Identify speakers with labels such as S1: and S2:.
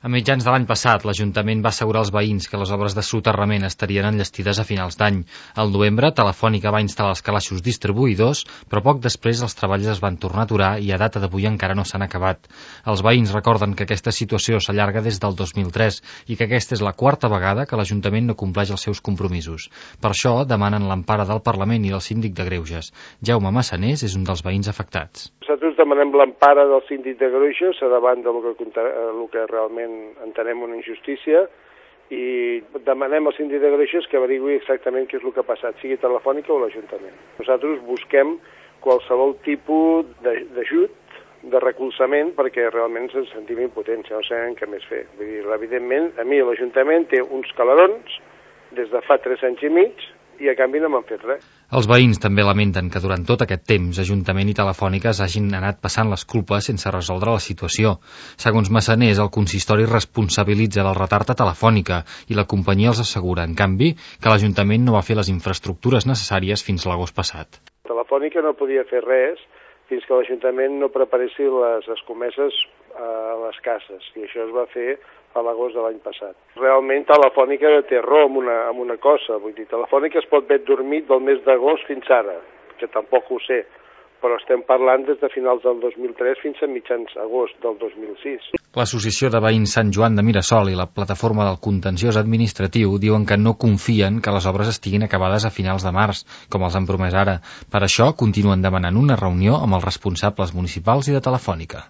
S1: A mitjans de l'any passat, l'Ajuntament va assegurar als veïns que les obres de soterrament estarien enllestides a finals d'any. Al novembre, Telefònica va instal·lar els calaixos distribuïdors, però poc després els treballs es van tornar a aturar i a data d'avui encara no s'han acabat. Els veïns recorden que aquesta situació s'allarga des del 2003 i que aquesta és la quarta vegada que l'Ajuntament no compleix els seus compromisos. Per això demanen l'empara del Parlament i del Síndic de Greuges. Jaume Massanés és un dels veïns afectats.
S2: Nosaltres demanem l'empara del Síndic de Greuges davant del que realment entenem una injustícia i demanem al Síndic de Greuges que averigui exactament què és el que ha passat, sigui Telefònica o l'Ajuntament. Nosaltres busquem qualsevol tipus d'ajut, de recolzament, perquè realment ens sentim impotents, no sabem què més fer. Vull dir, evidentment, a mi l'Ajuntament té uns calerons des de fa 3 anys i mig i a canvi no m'han fet res.
S1: Els veïns també lamenten que durant tot aquest temps Ajuntament i Telefònica hagin anat passant les culpes sense resoldre la situació. Segons Massanés, el consistori responsabilitza del retard a Telefònica i la companyia els assegura, en canvi, que l'Ajuntament no va fer les infraestructures necessàries fins l'agost passat.
S2: Telefònica no podia fer res fins que l'Ajuntament no preparessi les escomeses a les cases, i això es va fer a l'agost de l'any passat. Realment Telefònica té raó amb una cosa, vull dir, Telefònica es pot haver dormit del mes d'agost fins ara, que tampoc ho sé, però estem parlant des de finals del 2003 fins a mitjans agost del 2006.
S1: L'Associació de Veïns Sant Joan de Mirasol i la Plataforma del Contenciós Administratiu diuen que no confien que les obres estiguin acabades a finals de març, com els han promès ara. Per això continuen demanant una reunió amb els responsables municipals i de Telefònica.